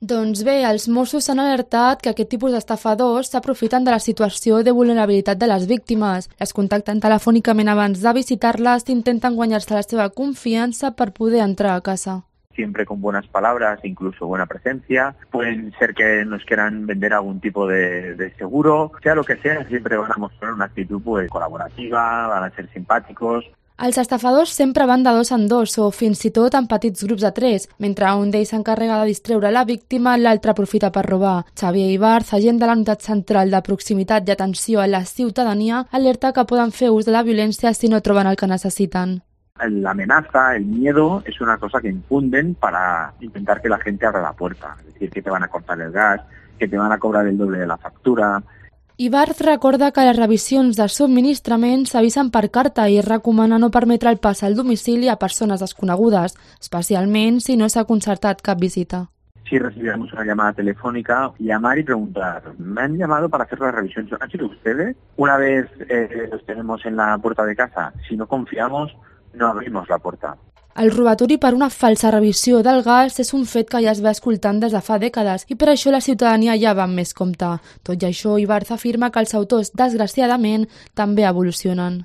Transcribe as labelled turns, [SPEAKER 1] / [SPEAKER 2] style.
[SPEAKER 1] Doncs bé, els Mossos s'han alertat que aquest tipus d'estafadors s'aprofiten de la situació de vulnerabilitat de les víctimes. Les contacten telefònicament abans de visitar-les i intenten guanyar-se la seva confiança per poder entrar a casa.
[SPEAKER 2] Siempre con buenas palabras, incluso buena presencia. Pueden ser que nos quieran vender algún tipo de seguro. Sea lo que sea, siempre van a mostrar una actitud colaborativa, van a ser simpáticos.
[SPEAKER 1] Els estafadors sempre van de dos en dos o fins i tot en petits grups de tres. Mentre un d'ells s'encarrega de distreure la víctima, l'altre aprofita per robar. Xavier Ibarz, agent de la Unitat Central de Proximitat i Atenció a la Ciutadania, alerta que poden fer ús de la violència si no troben el que necessiten.
[SPEAKER 2] La amenaza, el miedo, es una cosa que infunden para intentar que la gente abra la puerta. Es decir, que te van a cortar el gas, que te van a cobrar el doble de la factura.
[SPEAKER 1] Ibarz recorda que les revisions de subministrament s'avisen per carta i recomana no permetre el pas al domicili a persones desconegudes, especialment si no s'ha concertat cap visita.
[SPEAKER 2] Si recibimos una llamada telefónica, llamar y preguntar, me han llamado para hacer la revisión, ¿han sido ustedes? Una vez los tenemos en la puerta de casa, si no confiamos, no abrimos la puerta.
[SPEAKER 1] El robatori per una falsa revisió del gas és un fet que ja es va escoltant des de fa dècades i per això la ciutadania ja va amb més compte. Tot i això, Ibarz afirma que els autors, desgraciadament, també evolucionen.